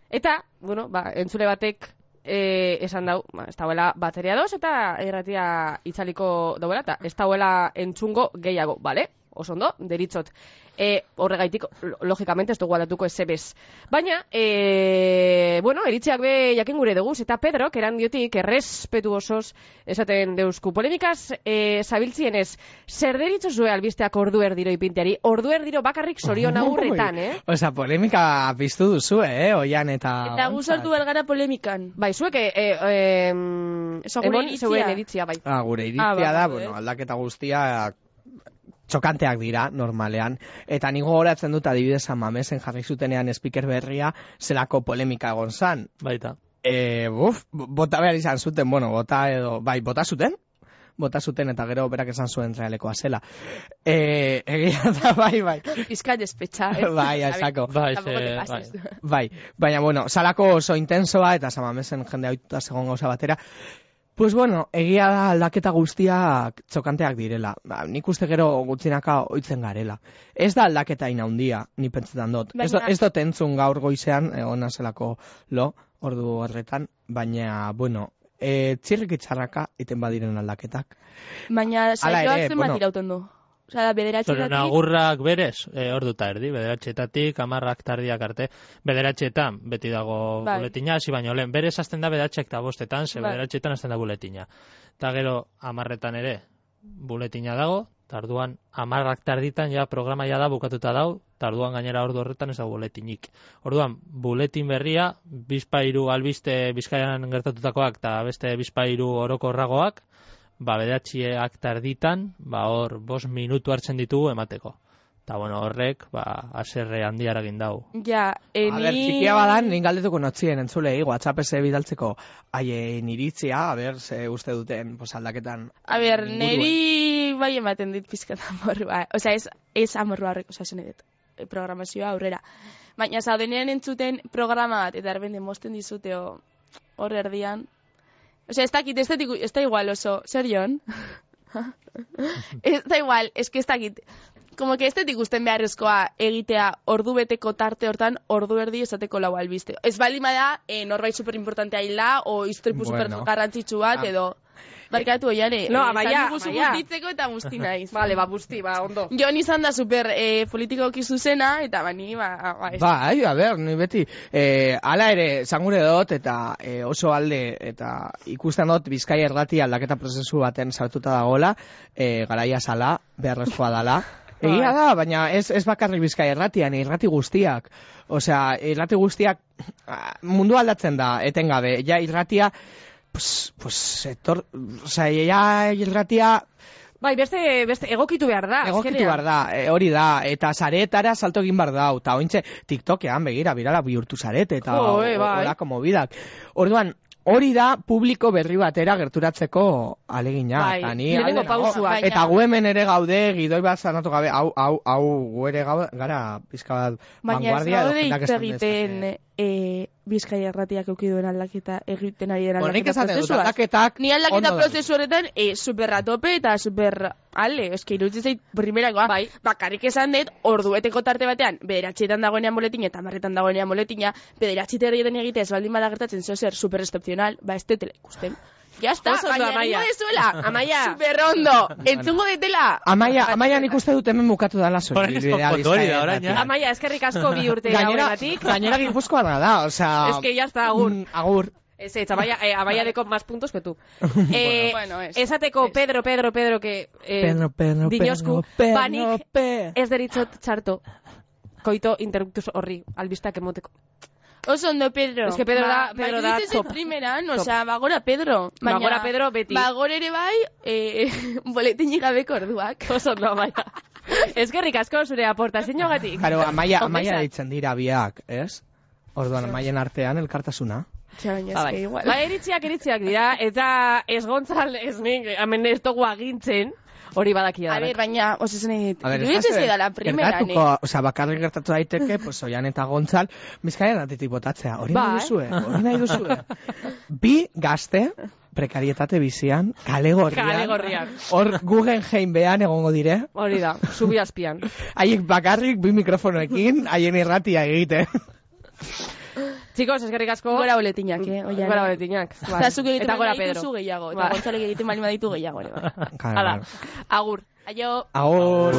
[SPEAKER 1] Eta, bueno, ba, entzule batek e, esan dau, ba, ez dauela bateria doz eta erratia itzaliko dauela, eta ez dauela entzungo gehiago, bale? Oso ondo, deritzot. E, horregaitik, lo- logikamente, ez dugu aldatuko ezebez. Baina, e, bueno, eritziak be jakin gure dugu, eta Pedrok erandiotik errespetu osoz esaten deusku. Polemikaz, e, zabiltzienez, zer deritzo zue albisteak ordu erdiro ipinteari? Ordu erdiro bakarrik Sorion agurretan, eh?
[SPEAKER 3] Osa, polemika piztu duzu, eh, oian eta...
[SPEAKER 2] Eta guzaltu belgara polemikan.
[SPEAKER 1] Bai, zuek, e, e, e, em,
[SPEAKER 2] Eso gure
[SPEAKER 1] emon
[SPEAKER 2] iritzia.
[SPEAKER 1] zeuen iritzia, bai.
[SPEAKER 3] Ah, gure iritzia
[SPEAKER 2] Ah, ba,
[SPEAKER 3] da,
[SPEAKER 2] ba,
[SPEAKER 3] bueno,
[SPEAKER 2] eh.
[SPEAKER 3] aldaketa guztia txokanteak dira, normalean. Eta nigo goratzen dut adibidez Amamesen jarri zutenean speaker berria zelako polemika egon zan.
[SPEAKER 4] Baita.
[SPEAKER 3] E, buf, bota behar izan zuten, bueno, bota edo, bai, bota zuten? Bota zuten eta gero berak esan zuen realekoa zela. E, egia da, bai, bai.
[SPEAKER 2] Pizka despetxa, eh?
[SPEAKER 3] Bai, esako.
[SPEAKER 4] Bai, ze,
[SPEAKER 2] Tampoco te
[SPEAKER 4] bai.
[SPEAKER 2] pases.
[SPEAKER 3] Bai, baina, bueno, salako oso intensoa eta Samamesen jende ohituta zegoen gauza batera. Pues bueno, egia da aldaketa guztiak txokanteak direla. Ba, nik uste gero gutxinaka ohitzen garela. Ez da aldaketa ina handia, ni pentsetan dut. Ez, do,
[SPEAKER 2] Baina-
[SPEAKER 3] ez dut entzun gaur goizean, egon zelako lo, ordu horretan, baina, bueno, e, txirrik itxarraka iten badiren aldaketak.
[SPEAKER 2] Baina
[SPEAKER 3] Hala
[SPEAKER 2] saioak
[SPEAKER 3] ere,
[SPEAKER 2] zenbat
[SPEAKER 3] bueno.
[SPEAKER 2] irauten du. Osa, da, bederatxetatik...
[SPEAKER 4] Zoren agurrak berez, e, orduta erdi, bederatxetatik, amarrak tardiak arte, bederatxetan, beti dago
[SPEAKER 2] bai.
[SPEAKER 4] buletina, hasi baino lehen, berez azten da bederatxek eta bostetan, ze
[SPEAKER 2] bai.
[SPEAKER 4] bederatxetan azten da buletina. Eta gero, amarretan ere, buletina dago, tarduan amarrak tarditan ja programa ja da bukatuta dau, tarduan gainera ordu horretan ez da buletinik. Orduan, buletin berria, bizpairu albiste Bizkaian gertatutakoak eta beste bizpairu orokorragoak, ba bederatziak tarditan, ba hor bost minutu hartzen ditugu emateko. Eta bueno, horrek, ba, aserre handia eragin dau.
[SPEAKER 2] Ja, eni...
[SPEAKER 3] A ber, txikia badan, nin galdetuko notzien entzulei, WhatsApp-eze bidaltzeko haien iritzia, a ber, ze uste duten, pues, aldaketan.
[SPEAKER 2] A ber, neri bai ematen dit pizkat amorrua. Osea, ez, ez amorrua horrek, osea, esan edet, programazioa aurrera. Baina, zaudenean entzuten programa bat, eta erbende mosten dizuteo hor erdian. Osea, ez dakit, ez, dakit, ez da igual oso, zer jon? Ez da igual, ez que ez dakit. Como que estetik gusten beharrezkoa egitea ordu beteko tarte hortan ordu erdi esateko lau albiste. Ez balima da, eh, norbait superimportantea hila, o istripu
[SPEAKER 3] Bueno.
[SPEAKER 2] super garrantzitsu bat, edo... Barkatu, oiane,
[SPEAKER 1] No,
[SPEAKER 2] eh,
[SPEAKER 1] Amaia,
[SPEAKER 2] esan diguzu
[SPEAKER 1] Amaia.
[SPEAKER 2] bustitzeko eta busti naiz.
[SPEAKER 1] Vale, ba, busti, ba, ondo.
[SPEAKER 2] Jon izan da super eh, politikoki zuzena, eta bani, ba... ba ez-
[SPEAKER 3] Bai, a ber, ni beti, eh, ala ere, zangure dut, eta eh, oso alde, eta ikusten dut Bizkaia Irrati aldaketa prozesu baten sartuta dagoela, eh, garaia sala, beharrezkoa dala. Egia da, baina ez, ez bakarrik Bizkaia Irratian, irrati guztiak. Osea, irrati guztiak ah, mundu aldatzen da, etengabe. Ja, irratia, pues, pues, etor, osea, ja, irratia...
[SPEAKER 1] Bai, beste, beste egokitu behar da.
[SPEAKER 3] Egokitu
[SPEAKER 1] azkenean.
[SPEAKER 3] behar da, e, hori da, eta saretara salto egin behar da, eta ointxe TikTokean begira, birala bihurtu zarete, eta
[SPEAKER 1] Jo, eh, bai.
[SPEAKER 3] horako mobidak. Orduan, hori da publiko berri batera gerturatzeko alegina.
[SPEAKER 1] Bai,
[SPEAKER 3] eta ni
[SPEAKER 1] lehenengo
[SPEAKER 3] alde nago.
[SPEAKER 1] pausuak.
[SPEAKER 2] Baina-
[SPEAKER 3] Eta gu hemen ere gaude, gidoi bat zanatu gabe, hau, hau, hau, gu ere gau, gara pizka bat
[SPEAKER 2] Baina ez
[SPEAKER 3] vanguardia edo
[SPEAKER 2] gaude
[SPEAKER 3] jendak
[SPEAKER 2] hitz
[SPEAKER 3] esan
[SPEAKER 2] egiten
[SPEAKER 3] dezake.
[SPEAKER 2] e, Bizkaia Irratiak eukiduen aldaketa egiten ari den
[SPEAKER 3] Bueno, nik
[SPEAKER 2] aldaketa
[SPEAKER 3] esaten dut,
[SPEAKER 2] prozesuaz.
[SPEAKER 3] aldaketak
[SPEAKER 2] Ni aldaketa
[SPEAKER 3] ondo
[SPEAKER 2] prozesu horretan e, super ratope eta super ale, eske iruditzen zait primerakoa.
[SPEAKER 1] Bai.
[SPEAKER 2] Bakarrik esan dut, ordueteko tarte batean, bederatxetan dagoenean boletina eta marretan dagoenean boletina, bederatxite herrietan egitea ez baldin bada gertatzen zeo zer super excepcional, ba ez tetela ikusten. Ya está,
[SPEAKER 1] Oso ondo,
[SPEAKER 2] baina
[SPEAKER 1] Amaia.
[SPEAKER 2] egingo dezuela.
[SPEAKER 1] Amaia.
[SPEAKER 2] Super ondo, entzungo detela.
[SPEAKER 3] Amaia, Amaia nik uste dut hemen bukatu dala zuen.
[SPEAKER 4] Orain ez konpondu hori da, orain, ja.
[SPEAKER 1] Amaia, eskerrik asko bi urte
[SPEAKER 3] Gainera,
[SPEAKER 1] hauetatik.
[SPEAKER 3] gainera gipuzkoana da, osea...
[SPEAKER 1] Es que ya está, agur.
[SPEAKER 3] mm, Agur.
[SPEAKER 1] Ez, ez, Amaia, eh, Amaia deko más puntos que tú. Eh,
[SPEAKER 2] Bueno, ez.
[SPEAKER 1] esateko
[SPEAKER 2] Ez.
[SPEAKER 1] Pedro, Pedro, Pedro, que... Eh,
[SPEAKER 3] Pedro, Pedro,
[SPEAKER 1] dinosku,
[SPEAKER 3] Pedro, Pedro,
[SPEAKER 1] banik
[SPEAKER 3] Pedro.
[SPEAKER 1] ez deritzot txarto. Koito interruptus horri, albistak emoteko.
[SPEAKER 2] Oso ondo, Pedro.
[SPEAKER 1] Es que Pedro da-
[SPEAKER 2] ba,
[SPEAKER 1] Pedro
[SPEAKER 2] ba,
[SPEAKER 1] da
[SPEAKER 2] iruditzen zait
[SPEAKER 1] top.
[SPEAKER 2] primeran,
[SPEAKER 1] Top.
[SPEAKER 2] osea, bagora Pedro. Baina,
[SPEAKER 1] Bagora Pedro beti.
[SPEAKER 2] Bagora ere bai, eh, boletinik gabeko orduak.
[SPEAKER 1] Oso ondo, Amaia. Eskerrik asko zure aportazioagatik.
[SPEAKER 3] Claro, Amaia, Amaia
[SPEAKER 1] Ongi
[SPEAKER 3] deitzen dira biak, ez? Orduan, Amaien artean elkartasuna.
[SPEAKER 2] Txa, baina
[SPEAKER 1] Ba,
[SPEAKER 2] eske
[SPEAKER 1] bai.
[SPEAKER 2] igual.
[SPEAKER 1] Ba, eritziak eritziak dira, eta ez gontzal, ez nik, hemen ez dugu agintzen, hori badakia
[SPEAKER 2] A
[SPEAKER 1] da.
[SPEAKER 2] ber, baina, oso zen egit,
[SPEAKER 3] A ber,
[SPEAKER 2] iruditzen
[SPEAKER 3] ez da
[SPEAKER 2] zaidala primeran,
[SPEAKER 3] gertatuko,
[SPEAKER 2] eh?
[SPEAKER 3] osea, bakarrik gertatu daiteke, pues, Oian eta Gontzal, Bizkaian atetik botatzea. Hori
[SPEAKER 1] Bai.
[SPEAKER 3] nahi duzue, hori nahi duzue. Bi gazte, prekarietate bizian, kale gorrian,
[SPEAKER 1] Kale gorrian.
[SPEAKER 3] hor Guggenheim behan egongo dire,
[SPEAKER 1] Hori da, zubi azpian.
[SPEAKER 3] haiek bakarrik bi mikrofonoekin, haien irratia egite.
[SPEAKER 1] Chicos, eskerrik asko.
[SPEAKER 2] Gora boletinak, eh? Oian.
[SPEAKER 1] Gora boletinak. Bai.
[SPEAKER 2] Eta zuk egiten
[SPEAKER 1] Eta gora
[SPEAKER 2] bali
[SPEAKER 1] Pedro.
[SPEAKER 2] dituzu gehiago. Eta
[SPEAKER 1] Bai.
[SPEAKER 2] Gontzalek egiten bali baditu gehiago, ere. bai.
[SPEAKER 3] Claro,
[SPEAKER 1] Hala,
[SPEAKER 3] claro.
[SPEAKER 1] agur.
[SPEAKER 2] Aio.
[SPEAKER 3] Agur.